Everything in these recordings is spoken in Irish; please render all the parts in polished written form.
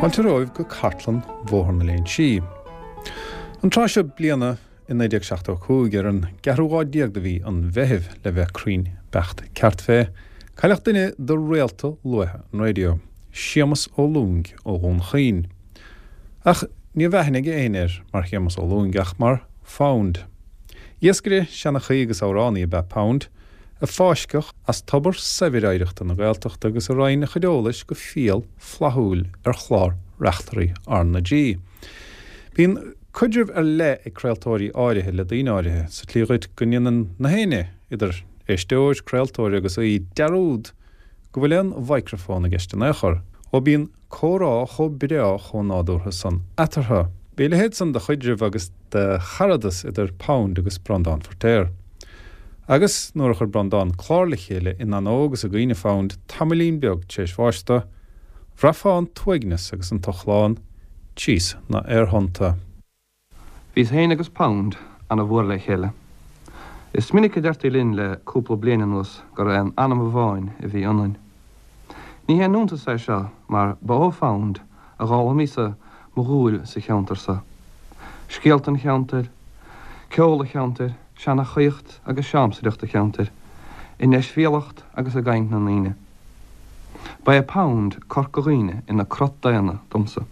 Fáilte romhaibh go cartlann Bhóthar na Léinsí. An tráth seo bliana i 1975, ar an gceathrú lá déag de mhí an Mheithimh le bheith cruinn beacht ceart fé, cailleadh duine de réalta luaithe an raidió, Séamus Ó Lúing ó Dhún Chaoin. Ach ní raibh aithne ag éinne air mar Shéamus Ó Lúing ach mar Phound. Iascaire, seanchaí agus amhránaí ab ea Pound, a fáisceadh as tobar saibhir oidhreachta na Gaeltachta agus a roinn a chuid eolais go fial flaithiúil ar chlár Reachtairí R na G. Bíonn caidreamh ar leith ag craoltóirí áirithe le daoine áirithe, sa tslí dhuit go ndéanann na héinne, idir éisteoir, craoltóir agus aoi, dearúd go bhfuil aon mhicreafón i gceist in aon chor, ó bíonn comhrá chomh breá chomh nádúrtha san eatarthu. Bhí a leithéid san de chaidreamh agus de charadas idir Pound agus Breandán Feirtéar. Agus nuair a chuir Breandán clár le chéile in onóir agus i gcuimhne Phound tamaillín beag tar éis bháis dó, bhraithfeá an t-uaigneas agus an t-ochlán tíos na aerthonnta. Bhíos féin agus Pound ana mhór le chéile. Is minic a deirtí linn le cúpla bliain anuas gur aon anam amháin a bhí ionainn. Ní haon iontas é seo mar ba ó Phound a d'fhoghlaimíos-sa mo dhúil sa cheantar so. Scéalta an cheantair, ceol an cheantair, seanchaíocht agus siamsaireacht an cheantair, i ndeisbhéalacht agus i gcaint na ndaoine. Ba é Pound Corca Dhuibhne ina crot daonna domsa.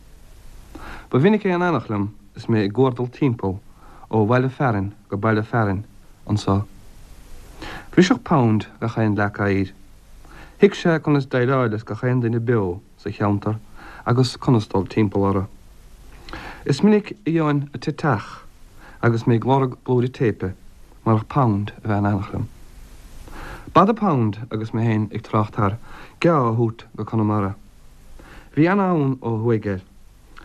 Ba mhinic é in éineacht liom is mé ag guardal timpeall ó bhaile fearainn go baile fearainn anso. Bhriseadh Pound gach aon leac oighir. Thuig sé conas déileáil leis gach aon duine beo sa cheantar agus conas dul timpeall orthu. Is minic a gheobhainn an t-teach agus mé ag lorg blúire téipe marach Pound a bheith in éineacht liom. B'fhada Pound agus mé féin ag trácht thar geá a thabhairt go Conamara. Bhí ana-fhonn ó thuaidh air,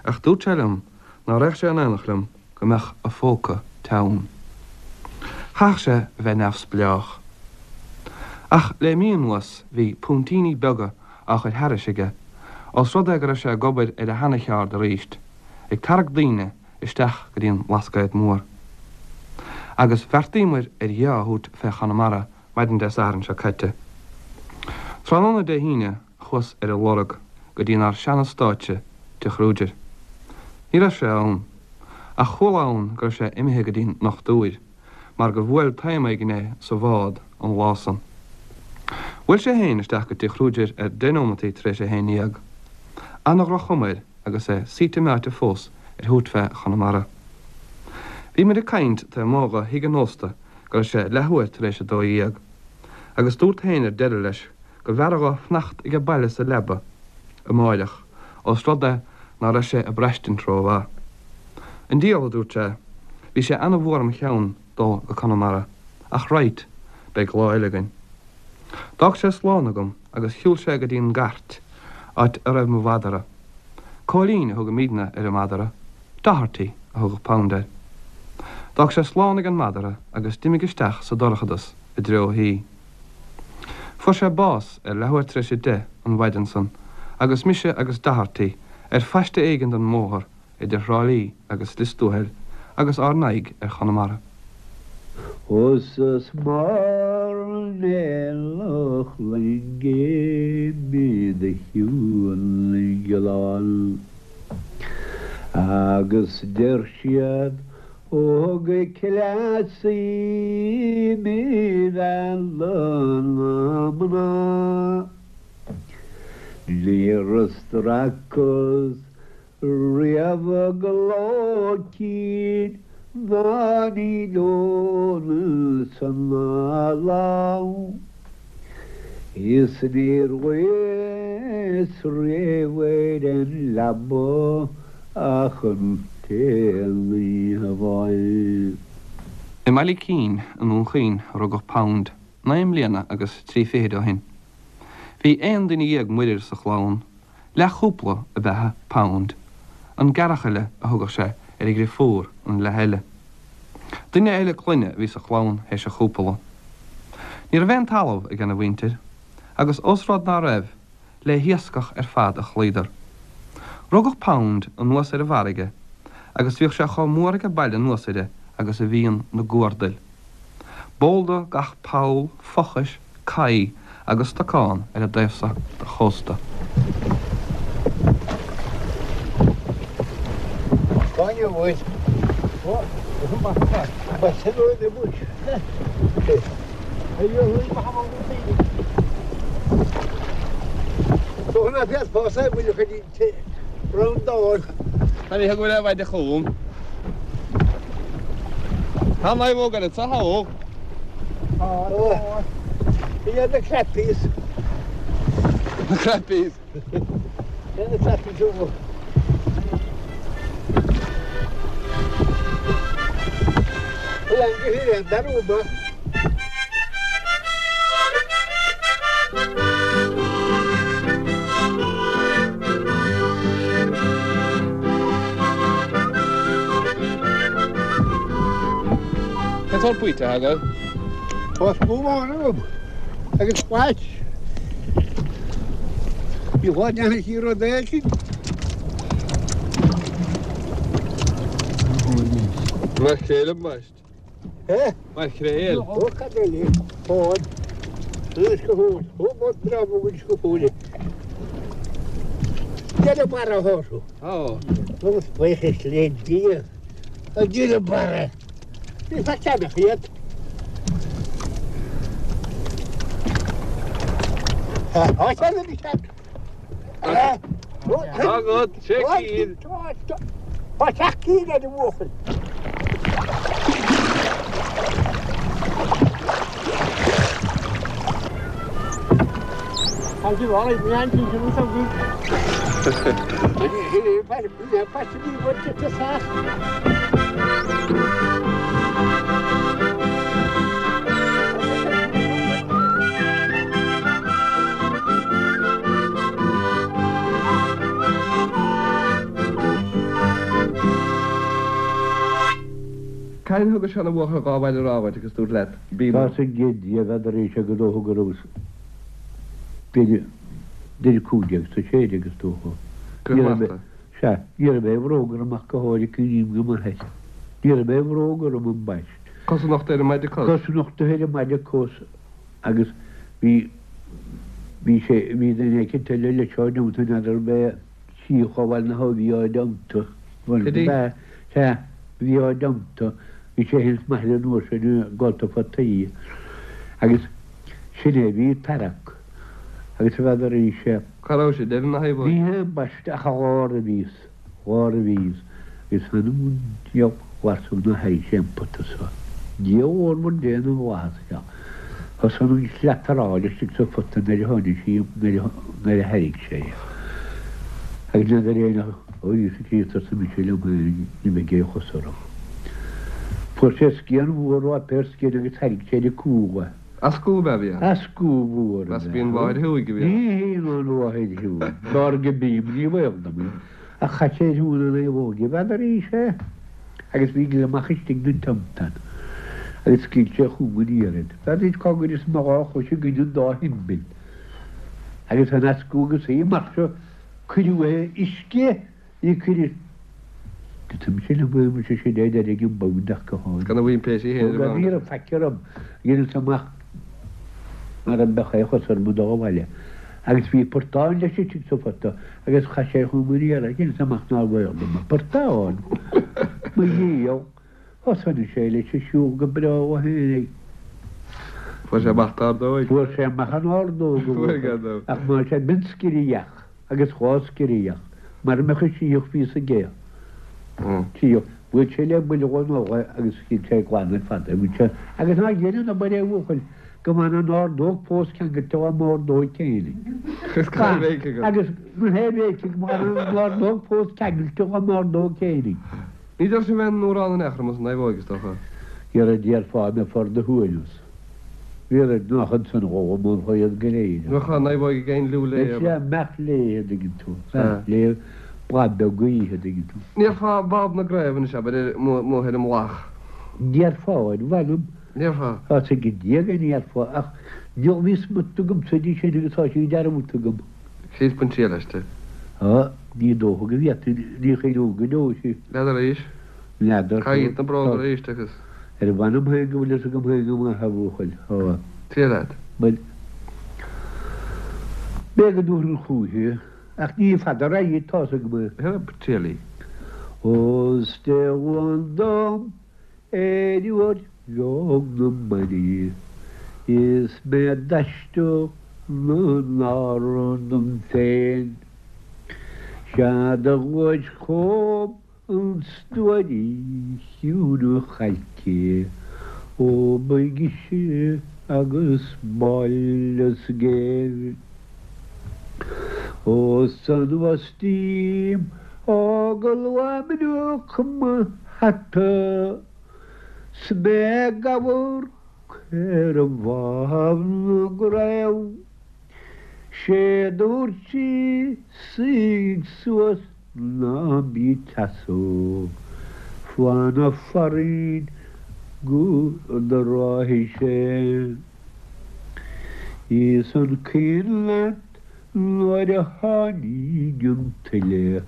ach dúirt sé liom ná raghadh sé in éineacht liom go mbeadh a phóca teann. Chaithfeadh sé a bheith neamhspleách. Ach le mí anuas bhí puntíní beaga á chur thairis aige, ós rud é go raibh sé ag obair ar a sheana-cheárd aríst, ag tarrac daoine isteach go dtí an Blascaod Mór. Agus bheartaíomair ar gheá a thabhairt fé Chonamara maidin Dé Sathairn seo caite. Tráthnóna Dé hAoine chuas ar a lorg go dtí-nár seana-stáitse Tigh Kruger. Ní raibh sé ann. Ach chuala ann go raibh sé imithe go dtí'n ndochtúir, mar gur bhuail taom éigin é sa bhád an lá san. Bhuail sé féin isteach go Tigh Kruger ar deich nóimeataí tar éis a 11. Ana-dhroch-chuma air agus é suite meáite fós ar thabhairt fé Chonamara. Bhí muid ag caint taobh amuigh dho thigh an ósta go raibh sé leathuair tar éis a 12, agus dúrt féin ar deireadh leis go mb'fhearra dho fanacht aige baile sa leaba amáireach ós rud é ná raibh sé ag braistint ró-mhaith. An diabhal, a dúirt sé, bhí sé ana-mhór im cheann dul go Conamara, ach right, beidh lá eile againn. D'fhág sé slán agam agus shiúil sé go dtí'n gcairt, áit a raibh mo mhadra. Cóilín a thugaimídne ar an madra, Doherty a thugadh Pound air. D'fhág sé slán ag an madra agus d'imigh isteach sa dorchadas i dtreo a thí. Fuair sé bás ar leathuair tar éis 10 an mhaidin san agus mise agus Doherty ar phaiste éigin den mbóthar idir Thrá Lí agus Lios Tuathail agus ár n-aghaidh ar Chonamara. Is mar an eallach loinge mé do shiúl glan agus deir siad ó thug cleasaí mé mhealladh na mná. Níor stracas Riamh gleo cinn ná ní leonas ná lán Is níor luíos riamh ar an leaba ach an t-aon oíche amháin. I mBaile Cinn i nDún Chaoin a rugadh Pound, naoi mbliana agus trí fichid ó shin. Bhí aon duine dhéag muirir sa chlann, Leathchúpla ab ea Pound, an gearrchaile a thugadh sé ar a dhriofúr an leath eile. Duine eile clainne a bhí sa chlann théis an chúpla. Ní raibh aon talamh ag ina mhuintir, agus ós rud ná raibh, le hiascach ar fad a chloíodar. Rugadh Pound anuas ar an bhfarraige, agus bhíodh sé chomh mór aige baile anuas uirthi agus a bhíonn na guardail. B'eol dó gach poll, fochais, caí agus stocán ar an dtaobh so de chósta. Tá an naomhóg ar an tsathóg. Tá na crappies. Na crappies. Na crappies úr. Cén sórt baoite atá agat? Tá scuab amháin agam agus plait. Ní lá deannach í rud éigin. Maicréil ambaist. Eh? Maicréil. Ó cad eile? Fád. Anois go fóill. Ó bud breá bog go fóill. Deireadh barra a thorthú. Ó. Agus buíochas le Dia. A deireadh barra. Ní feadh ceannach iad. Tá ceann ag ceann. Agat, sé cinn. Tá seacht gcinn ar an bhuachaill. Cathain a thugais seana-bhuachaill dhá bhaile rámhaint agus dúirt leat, Bí Tá sa gcéad Dia bheadar éis go dócha go rabhas b'fhéidir idir 15 is 16 is dócha. Go Ní raibh mé, sea, ní raibh aon bhróg orm ach go háirithe cuimhním go maith air. Ní raibh aon bhróg orm ambaist. Cosa nochta ar an maide cos. Cosa nochta ar an maide cos agus bhí, bhí sé, bhí duine éicint eile leis á dteannta n'fheadar ab é Síothal a bhail na a bhí á dteannta. Biddy? Sea, bhí á dteannta. Bhí sé féin is m'athair an uair sin ag gabháil fataí agus sin é, bhí tarrac agus n'fheadar arís é. Cá raibh sé, ar na thaobh? Ní hea ambaiste ach a lár a bhíos, lár a bhíos agus th'anam 'on diabhal glasfadh na haghaidh sé an pota so. Dia órmhar Dé na bhFlaitheas seo. Thosaigh an shlataráil istigh sa phota nuair a tháinig sí, nuair a thairrig sé é. Agus n'fheadar éinne ó Íosa Críost arsa mise liom féin ní bheidh aon chos orm. Fuair sé scian mhór ráipéar scian agus thairrig sé ar a cúl é. As scuab a bhí ann. As scuab mhór a Meas b'í an mháthair thuaidh a bhí ann. Ní hí an mháthair thuaidh. B'fhearr go bím, ní baol dom é. Ach chaith sé ar shiúl na naomhóige, n'fheadar arís é. Agus bhí gliomach istigh den tiontán. Agus scaoil sé chugam aniar iad. N'fheadar duit cá gcuireas mo dhá chois i gcoinne an dá thimbil. Agus an eascú agus í mar seo cuireadh é uisce í cuireadh Tá mise liom é mise sin é deir ag an bpound ach go háirithe. Gan a bhaimpéisí féin ar an Ní raibh faic orm. Dheineas amach mara mbeadh aon chos orm ag dul abhaile. Agus bhí portán leis istigh sa phota agus chaith sé chugam aniar é. Dheineas amach nár bhaol dom an portán. Mo dhiabhal. Thosnaigh sé leis ag siúl go breá ó féinig. Fuair sé amach d'ordóig. Fuair sé amach an ordóg a bhuachaill. Ach má sé b'in scréach agus dhá scréach mar a mbeadh a síothach bhí sa gcéadh. Síothach. Bhuail sé le buille dhon fhogha agus shil sé glan ar fad é. Bhuail sé agus ná dhein an obair é a bhuachaill go mbeadh an ordóg fós ceangailte dá m'ordóig féinig. Agus na hé bhéicigh go mbeadh an ordóg fós ceangailte dá m'ordóg féinig. Ní deir sibh aon amhrán in aon chor amuigh san naomhóig, is dócha. Dhera déarfá mbeifeá ar do shuaimhneas. Bhí nach ansan dhó, mholfá iad go léir. Bheadh an naomhóig ag éinliú léi, ab ea? Sea, mbeadh léi, a dtuigeann tú. Bheadh léi, bláth beag gaoithe, a dtuigeann tú. Ndéarfá Bob na gCraobh anois, abair, amuigh ar an mullach. Déarfá, ar mh'anam. Ndéarfá? Tá a fhios ag Dia go ndéarfá, ach níl bhí smut agamsa di sin agus tá sí dearmadta agam. Críost bain triail aisti. Á, ní dócha go bhféadfainn, ní chuimhneoinn go deo uirthi. N'fheadar arís. N'fheadar. Caith na bróga arís agus. Ar mh'anam féin go bhfuil fhios agam féin go maith, a bhuachaill. Á. Triail leat. Bhuel, b'é go dtabharfainn chúithi, ach ní fada a raghaidh, tá's agam é. Triail í. Ós Dé Luain dom ar uair bheag na maidine is mé ag aistear na n-Árann dom féin. Sea do ghluais chugam an stuairí chiúin chailce ó ba ghise agus b'áille sa gcéibh. Ó 's anuas díom ó go luath minic mo hata 's mé ag amharc ar Bhá na gCraobh. 'Sé dúirt sí suigh suas ná bí ag seasamh fána farainn go dtráfaidh sé. Is an cuimhin leat nuair a tháinig an tuile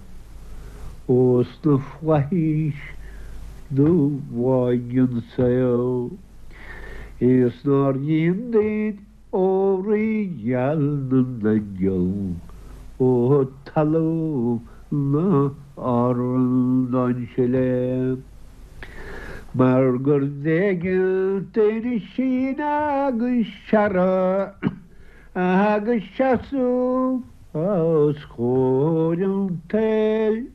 ós na flaithis do bháigh an saol is nár dhein duit ó Rí geal na n-aingeal ó talamh na h-Árann don sileadh. Mar gur bh'éigean duinn síneadh agus searradh agus seasamh os comhair an tsaoil.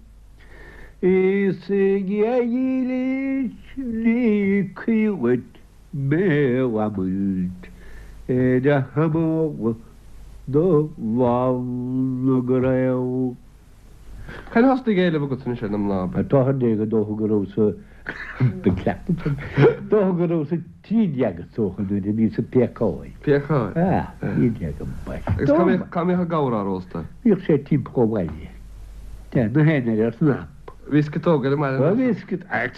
Is a Dhia dhílis ní cuí dhuit mé lamaint ar a hamal do Bhá na gCraobh. Cathain a thosnaigh éileamh agat anois ar na mná? Táthar déag is dócha go rabhas sa dócha go rabhas 13 is dócha nuair a bhíos ag péacáil. Péacáil? Ah, 13 ambaiste. Agus cá mbíodh cá mbíodh an gabhar á róstadh? Bhíodh sé timpeall an bhaile. De, na haon ar ar snap. Bhí sciotóga ar an mbaile? Bhí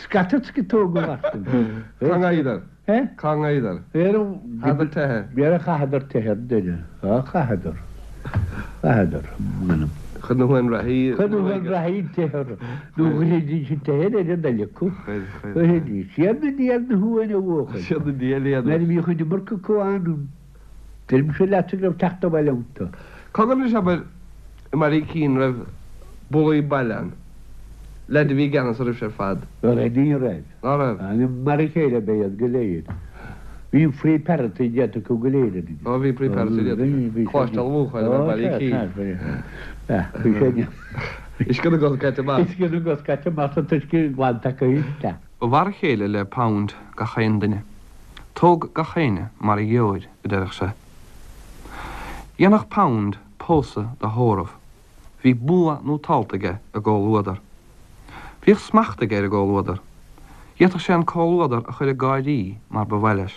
scata sciotóga lasmuigh. Cá ngabhadar? Eh? Cá ngabhadar? Chaitheadar teitheadh. B'fhéidir chaitheadar teitheadh ar deireadh. Á, chaitheadar. Chaitheadar, m'anam. Chuir na huain reathaí. Chuir na huain reathaí teitheadh orthu. Nó chuiridís an teitheadh ar an eile acu. Chuir, chuir. Chuiridís. Siad na diail na huain a bhuachaill. Siad na diail iad. Nuair a bhíodh an iomarca acu ann, deirimse leatsa go raibh teacht abhaile iontu. Cogar anois, abair, i mBaile Uí Cinn raibh bulaí baile ann. Leaid a bhí i gceannas oraibhse ar fad. Raibh, ní raibh. Ná raibh? Mar a chéile ab ea iad go léir. Bhí free parity déanta acu go léir orainn. Ó bhí free parity déanta acu. Coláiste an Bhuachaill ab ea Baile Uí Cinn. Bhí sé. Uisce na gcos caite amach. Uisce na gcos caite amach an t-uisce glanta acu isteach. Ba mhar a chéile le Pound gach aon duine. Tóg gach éinne mar a gheobhair, a deireadh sé. Dhéanfadh Pound pósadh de thórramh. Bhí bua nótálta aige i gcomhluadar. Bhíodh smacht aige ar an gcomhluadar. D'fhéadfadh sé an comhluadar a chur ag gáirí mar ba mhaith leis.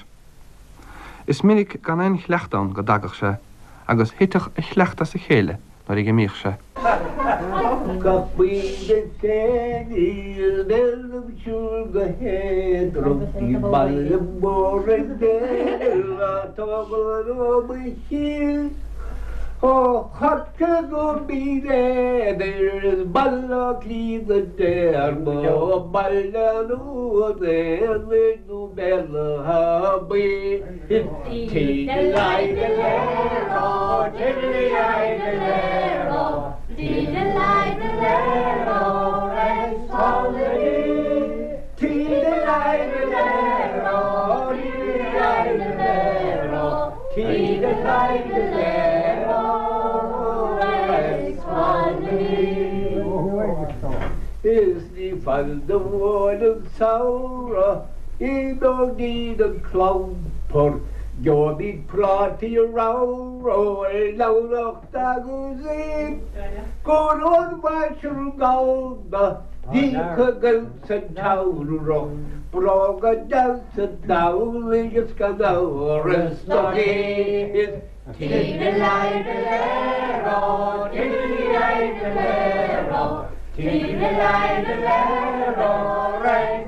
Is minic gan aon chleacht ann go dtagadh sé agus thitfeadh a chleacht as a chéile nuair a dh'imíodh sé. Gach pointe féin is bheinn ag siúl go héadrom Ní baile mór é Béal atá ó mo chill. Ó Chorcaigh go Mín Éadair is Baile Átha Cliath go Téarma, ó Baile an Aonaigh nó Béal Átha Buí is Tí-de-lai-de-lé-ró, tiddly-ai-de-lé-ró, tí-de-lai-de-lé-ró, Rex Tí-de-lai-de-lé-ró, tiddly-ai-de-lé-ró. Is ní fada do bhuail an samhradh imeoidh an clampar Gheobhaimid prátaí ramhra leamhnacht agus im Go raibh an mhaisir gallda Bhíodh againn san tsamhradh Bróga deasa Domhnaigh is gan amhras do is Tí-de-lai-de-lé-ró, tiddly-ai-de-lé-ró, tí-de-lai-de-lé-ró, Rex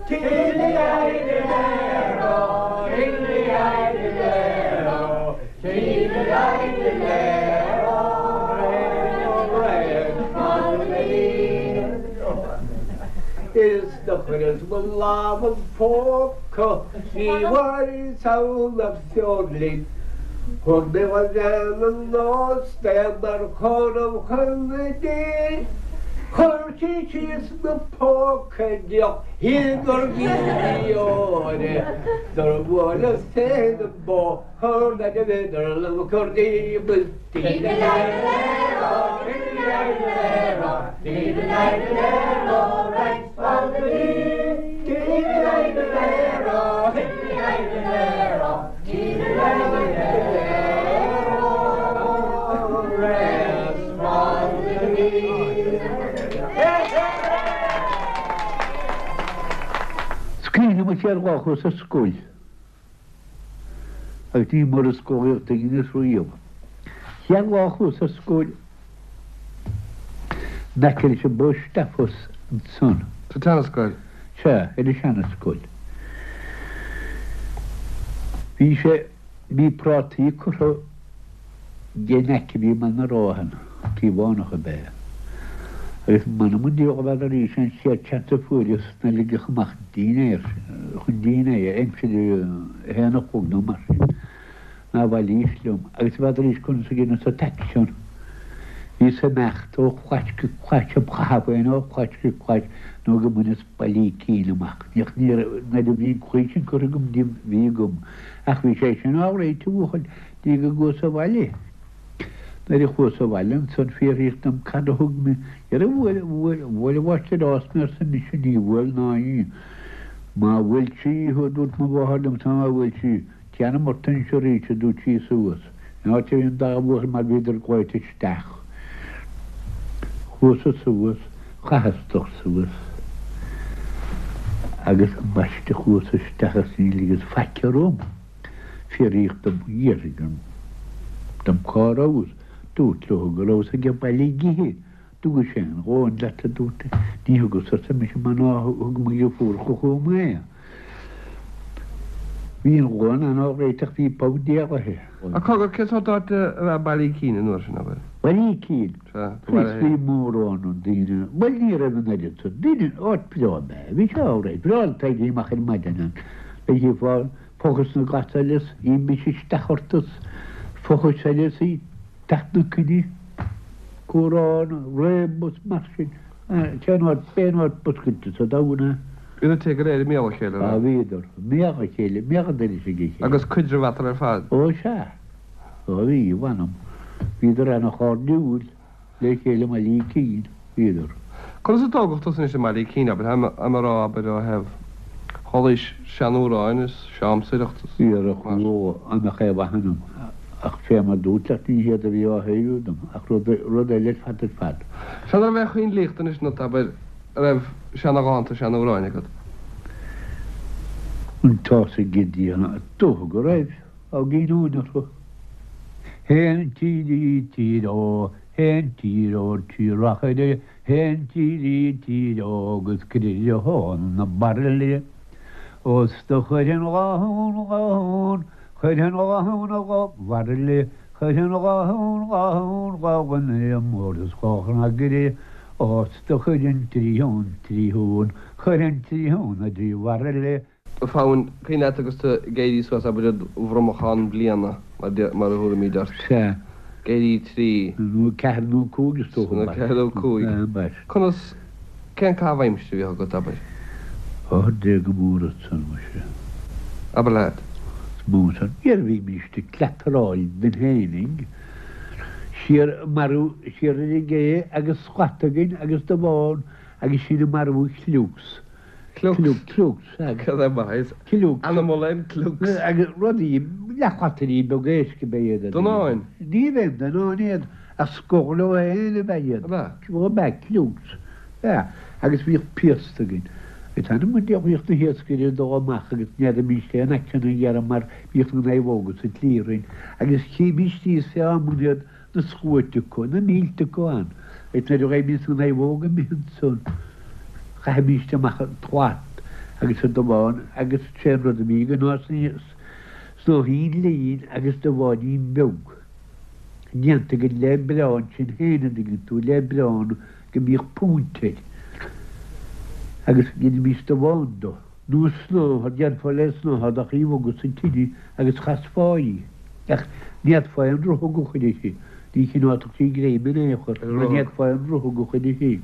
Tí-de-lai-de-lé-ró, tiddly-ai-de-lé-ró, tí-de-lai-de-lé-ró, Is do chuireas mo lámh im phóca ní bhfuaireas ann ach feoirling. Thug mé mo bhean an ósta mar chúnamh chun di. Chuir sí síos 'na póca deoch gur ghiúire Dur bhuaileas féin an bóthar le bhíodar liom cur díom Is cuimhin liom an chéad lá a chuas ar scoil agus ní mór is scolaíocht a dheineas riamh. Chéad lá a chuas ar scoil in aice leis an bpost office ansan. Sa tseanascoil? Sea, ar an seanascoil. Bhí sé, bhí prátaí curtha den aice bhí mé ina ráthan, Cíobhánach ab ea é. Agus m'anam 'on diabhal a bheadh arís an chéad seans a fuaireas ná ligeadh amach dinnéar, chun dinnéir, aimsir a haon a chlog nó mar sin, ná bhailíos liom. Agus n'fheadar conas a dheineas an t-aicsean. Bhíos ag imeacht ó chlais go clais, im chaitheamh féin ó chlais go clais nó go mbaineas Baile Ícín amach. Ní raibh, nuair a bhí an claí sin curtha agam díom, bhí agam. Ach bhí sé sin alright a bhuachaill, dtí go gcuas abhaile. Nuair a chuas abhaile ansan fiafraíodh dom cad a thug mé, dhera bhuail, bhuail, bhuail an mháistir-rás mé arsa mise, ní bhuail ná í. Má bhuail sí thú a dúirt mo mháthair liomsa má bhuail sí, déanam ort anois arís a dúirt sí suas in áit a bhí an dá bhuachaill mar bhíodar glaoite isteach. Chuas-sa suas, chaitheas stoc suas agus ambaiste chuas isteach is ní ligeas faic orm. Fiafraíodh dom, fhiafraigh dom cá rabhas. Dúrt leo go rabhas ag baile ag ithe. Dtugais aon ghamhain leat a dúirt Ní thugas arsa mise mar ná thug mo dheirfiúracha chugam é. Bhí an ghamhain an-alright ach bhí punt d'éalaithe. Ach cogar, cén sórt áit ab ea Baile Ícín an uair sin, abair? Baile Ícín? Sea, do bhaile féin. Bhí mórán daoine, bhuel ní raibh an oiread san daoine, áit bhreá ab ea é. Bhí sé alright, breá le éirí amach ar maidin ann. Chífeá fochas na gcasal is imís isteach ort is fochas eile is í teacht na coinne, comhrá, réabadh is mar sin. Cén áit, b'é an áit ba scoite sa domhan é. Bhí na tithe go léir i mbéal a chéile, an ea? Á, bhíodar. I mbéal a chéile, i mbéal an dorais ag a chéile. Agus caidreamh eatarthu ar fad? Ó, sea. Ó, bhí, mh'anam. Bhíodar ana-chairdiúil. Le chéile i mBaile Ícín, bhíodar. Conas a tógadh tusa anois i mBaile Ícín, abair, táim a rá, abair, ó thaobh chualaís seanamhráin is siamsaireacht is mar. Ó, an mbeadh aon mhaith ionam, ach fé mar dúirt leat, ní hiad a bhí á shaothrú dom, ach rud, rud eile ar fad ar fad. Sea, an raibh aon choinnlíocht anois ionat, abair, a raibh seanadhánta, seanamhráin agat? An t-ás ag Gideon, dócha go raibh. Á gcinniúint orthu. Théann tírí tír ó, théann tír ó trí rachaire, théann tírí tír ó agus critheann na bairille. Ó 's do chuirfinn dhá thún, dhá thún, chuirfinn dhá thún a dhá bhairille, chuirfinn dhá thún, dhá thún, dhá dhuine mór is dhá chnagaire, ó 's do chuirfinn trí thún, trí thún, chuirfinn trí thún a dtrí bhairille. A Pheain, cuimhin leat agus tú ag éirí suas, abair, id bhromachán bliana, mar a thabharfaimid ort. Sea. Ag éirí trí. Nó ceathair nó cúig is dócha. Nó ceathair nó cúig. Sea. Conas, cén caitheamh aimsire a bhíodh agat, abair? Ó, Dia go mór ansan, muise. Abair leat. Is mó san. Dhera bhímíst ag cleataráil dúinn fhéinig, siar, marú, siar ar an gcé agus slat againn agus damhán agus sinn ag marú cliúcs. Cliúcs. Cliúcs. Cad é mar is animal é an cliúcs? Agus rudaí, leathshlataí beaga éisc ab ea iad. Donáin? Ní bheinn donáin iad, ach scór leo féin ab ea iad. Ab ea? Ó, ab ea, cliúcs. Sea. Agus bhíodh piast againn. Agus anam an diabhail bhíodh na hiascairí ag dul amach agus ní fheadaimíst aon aicsean a ghearradh mar bhíodh na naomhóga sa tslí orainn. Agus chímíst thíos fé amanna iad na sluaite acu, na mílte acu ann, agus nuair a gheibhimíst na naomhóga imithe ansan, chaithimíst amach an tslat agus an damhán agus sé an rud a bhí againn ná snáithín lín agus damháinín beag, déanta againn le biorán sinn féin, an dtuigeann tú, le biorán go mbíodh púnt air, agus dheinimíst damhán do. Nó snáithe, déanfá le snáithe do bhogadh sa tine agus chasfá í. Ach ní fhéadfá aon ruthag a chur uirthi, ní chineálfadh sí greim in aon chor, mar ní fhéadfá aon ruthag a chur uirthi.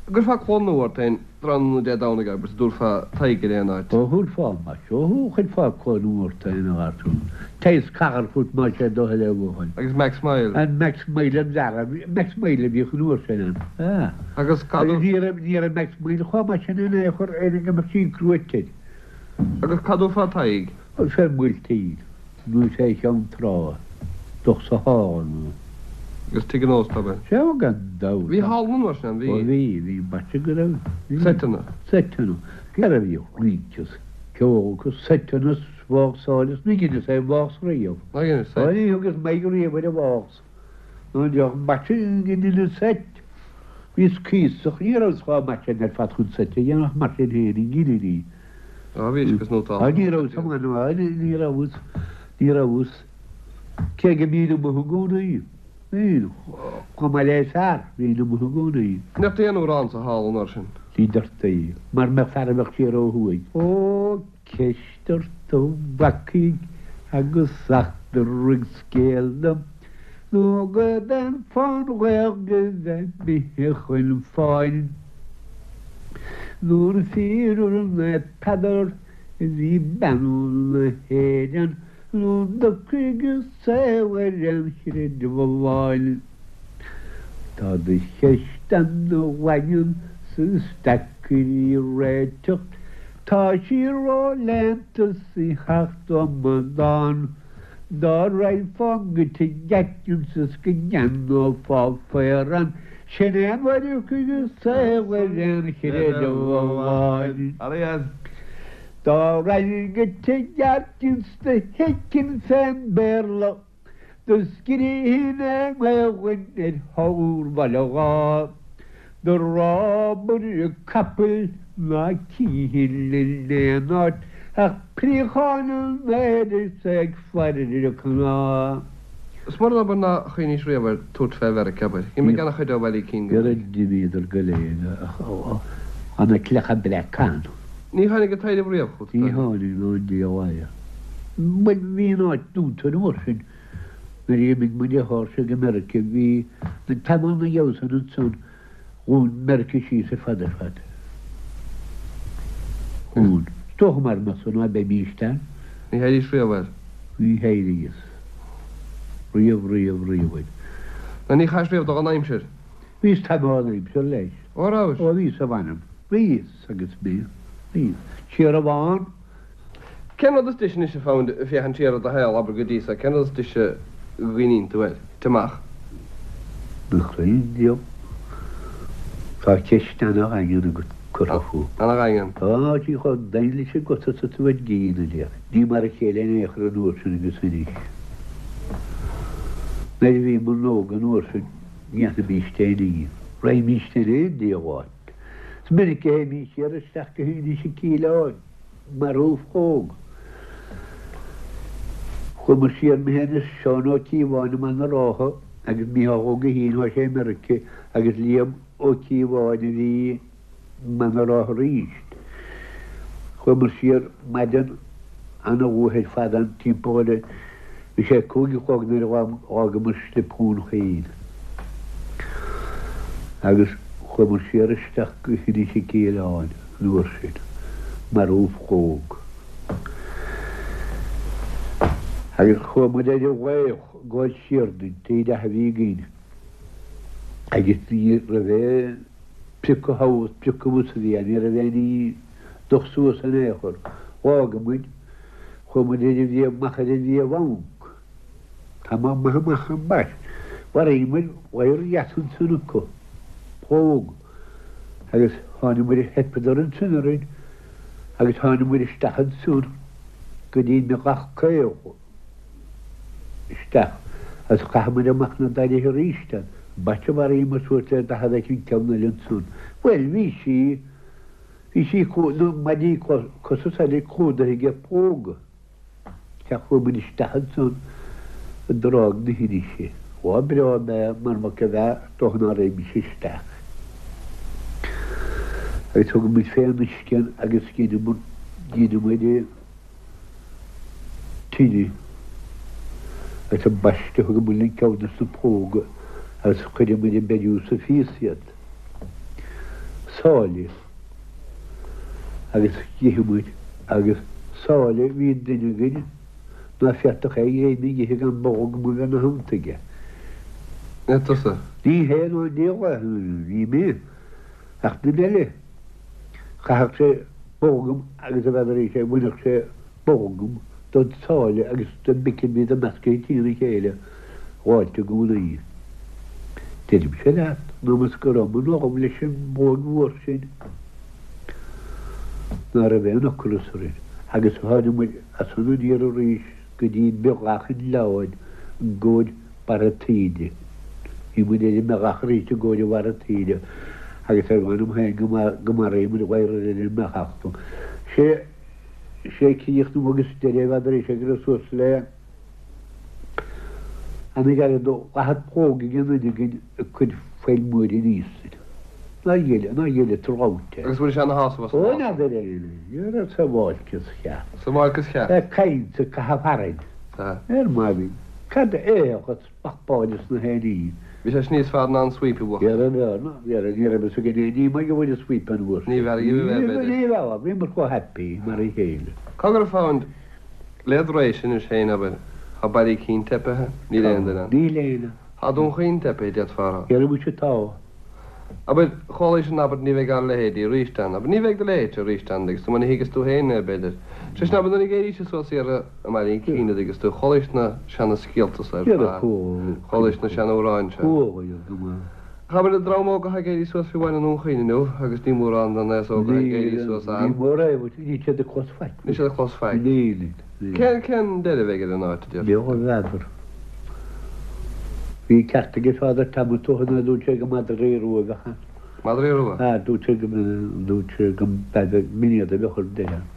An gcuirfeá cló nua ort féin tráthnóna Dé Domhnaigh abair is an dtabharfá t'aghaidh ar aon áit. Ó thabharfá muis, ó chuirfeá cló nua ort féin a gharsún. Téigh caithfear fút más é do thoil é a bhuachaill. Agus Max Mile. An Max Mile an bhfear, Max Mile a bhíodh an uair sin ann. Ah. Agus cad Agus ní raibh, ní raibh Max Mile chomh maith sin in aon chor ar go mbeadh sí cruaite air. Agus cá dtabharfá t'aghaidh? Ó fé Bhuailtín. Nó fé Cheann Trá, dumhcha sa halla nó. Agus tigh an ósta, ab ea? Sea, gan dabht. Bhí halla an uair sin ann, bhí. Ó bhí, bhí, b'fhéidir go raibh, bhí. Seiteanna. Seiteanna. Cé a bhíodh rince is ceol agus seiteanna is válsáil is ní dheineas aon válsa riamh. Nár dheinis seit? Ó ní thugas m'aghaidh riamh ar an válsa. Nó an deoch b'fhéidir go ndeineas seit. Bhíos cuíosach, ní rabhas chomh maith sin ar fad chun seit a dhéanamh ach mar sin féin, an gcinneadh. Á bhís agus nótáil. Á ní rabhas iomaí ná ní rabhas, ní rabhas. Cé go mbínn amuigh i gcónaí, bhínn, chomh maith le fear, bhínn amuigh i gcónaí. An ndeirtí aon amhrán sa halla an uair sin? Ní deirtí, mara mbeadh fear a bheadh siar ó thuaidh. Ó, ceist ort a mhacaigh agus eachtraigh scéal dom, nó go den fán ghaoth go bheith imithe chun fáin. Nuair fíor Peadar a bhí beannú na hÉireann nó d'ocraigh a saol ar an chreideamh amháin. Tá do cheist ana-dhaingean 's is deacair í réiteach, tá sí ró-léannta 's í thart amadán. Dá raghfá go tigh Atkins is go gceannófá faorán, sin é an uair a thiocfaidh an saol ar an chreideamh amháin. Dá raghainn go tigh Atkins do thuigfinn fén Béarla, do scríobhainn i nGaelainn ar thóir Bhaile Dháith. Do rabhadh capaill ná cífinn in aon áit ach préacháin an aeir is é ag faire ar cnámh. Is mór an obair ná chuimhnís riamh ar tabhairt fé Mheiriceá, abair. D'imigh ana-chuid ó Bhaile Uí Cinn go. Dhera d'imíodar go léir ach tá na clocha breaca ann. Ní tháinig an taidhreamh riamh chugat, Ní tháinig ná Dia a mhaith. Bhuel, bhí an áit dúnta an uair sin. Nuair a d'imigh mo dheartháirse go Meirice bhí na tamall na dhiaidh san ansan dhún Meirice síos ar fad ar fad. Dhún. Is dócha mara mbeadh san ná beimíst ann. Ní théidís riamh air. Ní théidís. Riamh riamh riamh air. Ná ní chaithis riamh do dhon aimsir. Bhíos tamall dhon aimsir leis. Ó rabhais? Ó bhíos a mh'anam. Bhíos agus mé. Bhíos. Siar amháin. Cén rud is deise anois a Phound ag féachaint siar ar do shaol, abair, go dtí so, cén rud is deise a gcuimhníonn tú air? Tit amach. Mo chroí beag. Tá ceist ana-dhaingean agat curtha fúm. Ana-dhaingean. Tá sí chomh daingean leis an gcos is tú ag gíneadh léi. Ní mar a chéile in aon chor an uair sin agus anois. Nuair a bhíomar óg an uair sin, ní dhéanfaimíst aon ní. Raghaimíst in aon diabhal áit. Is minic a théimís siar isteach go hInis Cíleáin. Mar ulchóg. Chuamar siar mé féin is Seán Ó Cíobháin i mBaile na Rátha agus Mícheál Ó Guithín, thá sé i Meirice, agus Liam Ó Cíobháin a bhí i mBaile na Rátha arís. Chuamar siar maidin ana-luath ar fad ann timpeall ar bhí sé 5 a chlog nuair a dh'fhágamar Slip Dhún Chaoin agus chuamar siar isteach go hInis Cíleáin. an uair sin, mar ulchóg. Agus chuaigh muid ar an bhFraoch ag gabháil siar den taobh leath a bhí againn agus ní raibh aon priocadh thall is priocadh abhus a bhí ann, ní raibh aon ní dumhach suas in aon chor. Dh'fhága muid, chuaigh muid ar an bhFia, amach ar an bhFia Bhanc. Tamall maith amach ambaist. Mharaigh muid ladhar dheas ansan acu, plóg. Agus tháinig muid, theipeadar ansin orainn agus tháinig muid isteach ansan go dtí an Ghlac Caol isteach agus chaith muid amach na doiligh arís ann. Ambaiste mharaíomar suas le 40 eicínt ceann eile ansan. Bhuel, bhí sí, bhí sí, na maidí cosa is eile clúdaithe ag plóga. Sea, chuaigh muid isteach ansan i dTráigh na hInise. Lá breá ab ea mara mbeadh a bheith is dócha ná raghaimís isteach. Agus thug muid fén uisce agus dheineamar, dheineamar tine. Agus ambaiste thugamar linn ceann des na plóga agus chuireamar ag beiriú sa phias iad. Sáile agus d'ith muid agus sáile bhí duine againn ná féadfadh é greim a dh'ithe gan bolgam a bheith 'na theannta aige. É tusa? Ní hé ná an diabhal é, ní mé, ach duine eile. Chaithfeadh sé bolgam agus a bheith arís é, bhainfeadh sé bolgam don tsáile agus don bacon bhíodar meascaithe trína chéile dh'fháilt i gcónaí. Deirimse leat, ná más go raibh mo anam leis an bpóig mhór sin ná raibh aon ocras orainn. Agus tháinig muid as san aniar arís go dtí Beathach an Ghleann i gcomhair barra taoide. Bhí muid ar an mBeathach arís i gcomhair an bharra taoide agus ar mh'anam féin go maraíodh muid gadhar ar an mBeathach. Sé sé críochnú agus deireadh n'fheadar é sé go raibh suas le ana-ghairid do 40 plóg ag an duine againn ag cur phoill mhóir aníos. Nár gheille, nár gheille tú rabhta. Agus bhfuil sé ina shásamh as an Ó, n'fheadar é, ní raibh sa bhfáilte is cheart. Sa bhfáilte is cheart. Ag caint ag caitheamh tharainn. Sea. Ar maidin. Cad é a spapáil is na héiní. Bhí sé níos fearr ná an sweep a bhuachan. Ní raibh, ní raibh, ní raibh fhios againn aon ní mar go bhfuil an sweep an uair sin. Ní bheadh riamh a bheith, b'fhéidir. Ní raibh, bhíomar chomh happy mar a chéile. Cogar a Phound, led réise anois féin, abair, tá Baile Cinn teipithe, níl aon duine ann. Níl aon. Tá Dún Chaoin teipithe, d'fhéadfá a rá. Dhera muise tá. Abair, chualaís an abairt ní bheidh ár leithéidí arís ann. Abair, ní bheidh do leithéidse arís ann, agus tú mar ní thuigeas tú féin é, b'fhéidir. Sé sin, abair, nuair a d'éiríos suas iarraidh i mBaile an Cinn, a dtuigeas tú, chualaís na seana-scéalta so ar fad, chualaís na sean-amhráin seo. Ach abair, an dream óg atá ag éirí suas fiú amháin i nDún Chaoin inniu, agus ní mórán den aos óg atá ag éirí suas ann. Ní mór é, níl siad ag clos faic. Níl siad ag clos faic. Cén, cén deireadh a bheidh ar an áit, a deir tú? N'fheadar. Bhí ceart aige Father Tom ó shin a dúirt sé gur madraí rua a bheadh ann. Madraí rua? Ah, dúirt sé go dúirt sé go mb'fhéidir go mb'iad a bheadh ar deireadh.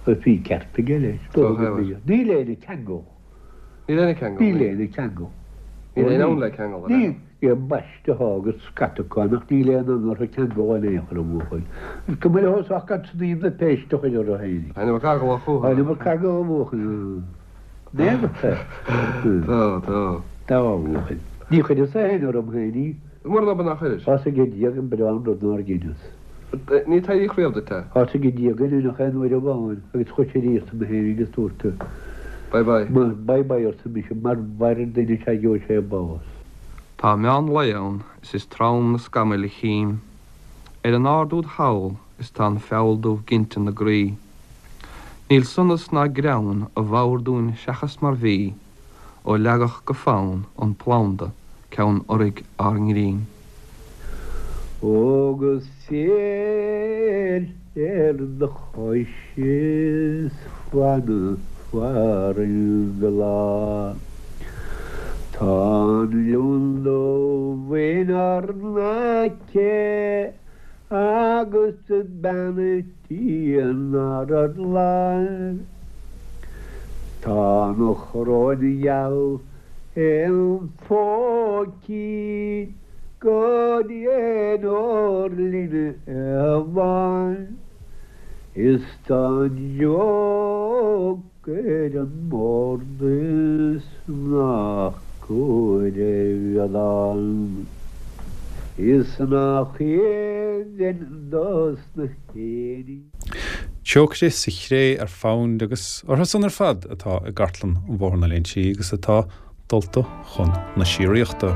Agus bhí ceart aige leis. Dócha go mb'ea. Níl éinne ag ceangal. Níl éinne ag ceangal? Níl éinne ag ceangal. Níl éinne ann le ceangal, an ea? Níl. Níl baiste acu agus scata acu ann ach níl aon fhonn orthu ceangal in aon chor a bhuachaill. Is cuma leo ach gan snaidhm na péiste a chur orthu féinig. Tá an iomarca eagla chucu. Tá an iomarca eagla a bhuachaill. N'fhéadfadh é. Tá, tá. Tá, a bhuachaill. Ní chuireas féin orm féin í. Mura n-obair nach chuiris. Tá's ag Dia gur breá an rud nár dheineas. Ní taidhreadh riamh duit é. Tá's ag Dia gur deineadh aon uair amháin agus chuir sé aríst mé féin agus dúirt. Bye bye. Bye bye arsa mise, mar mhair duine sea gheobhaidh sé bás. Tá meán lae ann is is trom na scamaill a chím Ar an ard úd thall is tá an feall dubh ginte 'na gcroí. Níl sonas ná greann i bhfabhar dúinn seachas mar bhí ó leagadh go fann an planda ceann urraidh ár ngrinn. Ó go saor ar do chois is fan farann glan. Tá an leon dubh inár n-aice Agus bean a' tí inár láimh. Tá an choróin gheal im phóicín go n-éireoir linn a bhain. Is tá an deoch ar an mbord is nach cóir a bheith ann is nach aoibhinn dos na héinne. Teocaire sa chré ar Found agus orthu san ar fad atá i gcartlann an Bhóthar na Léinsí agus atá dulta chun na síoraíochta.